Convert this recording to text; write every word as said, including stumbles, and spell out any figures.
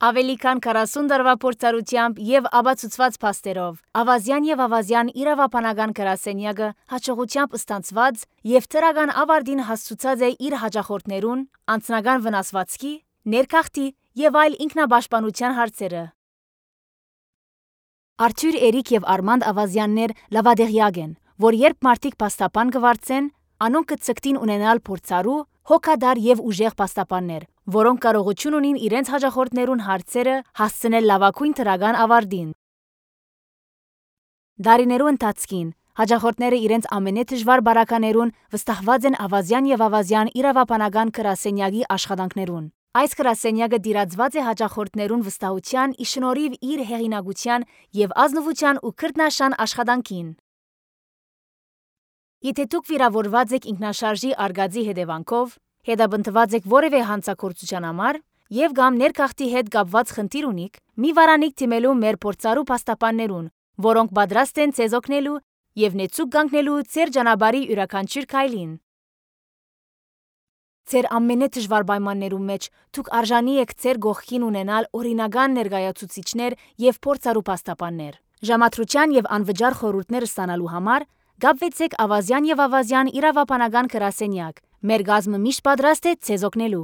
Ավելի քան քառասուն տարվա փորձառությամբ եւ ապացուցված փաստերով ավազյան եւ ավազյան իրավապանական գրասենյակը հաջողությամբ ստանձնված եւ թրական ավարտին հասցուցած է իր հաճախորդներուն անձնական վնասվածքի, ներքախտի եւ այլ ինքնապաշտպանության հարցերը։ Արթուր, Էրիկ եւ Արմանդ Ավազյաններ լավադեղյակ են, որ երբ մարդիկ փաստաբան կվարձեն, անոնք կցկտին ունենալ փորձառու, հոգադար եւ ուժեղ փաստաբաններ, որոնք կարողություն ունին իրենց հաճախորդներուն հարցերը հասցնել լավագույն թրական ավարտին։ Դարիներու ընթացքին հաճախորդները իրենց ամենադժվար բարականերուն վստահված են ավազյան եւ ավազյան իրավապանական գրասենյակի աշխատանքներուն։ Այս գրասենյակը դիրացված է հաճախորդներուն վստահության ի շնորհիվ իր հեղինակության եւ ազնվության ու քրտնաշան աշխատանքին։ Եթե դուք վիրավորված եք ինքնաշարժի արգածի հետևանքով, հետապնդված եք որևէ հանցագործության համար եւ կամ ներքախտի հետ կապված խնդիր ունիք, մի վարանիք դիմելու մեր փորձառու փաստաբաններուն, որոնք պատրաստ են ձեզ օգնելու եւ նեցուկ կանգնելու ձեր ճանապարհի յուրաքանչյուր քայլին։ Ձեր ամենադժվար պայմաններում մեջ դուք արժանի եք ձեր գողքին ունենալ օրինական ներկայացուցիչներ եւ փորձառու փաստաբաններ։ Ժամադրության եւ անվճար խորհուրդներ ստանալու համար կապվեցեք ավազյան եւ ավազյան իրավապանական գրասենյակ։ Մեր գազմը միշտ պատրաստ է ձեզ օգնելու։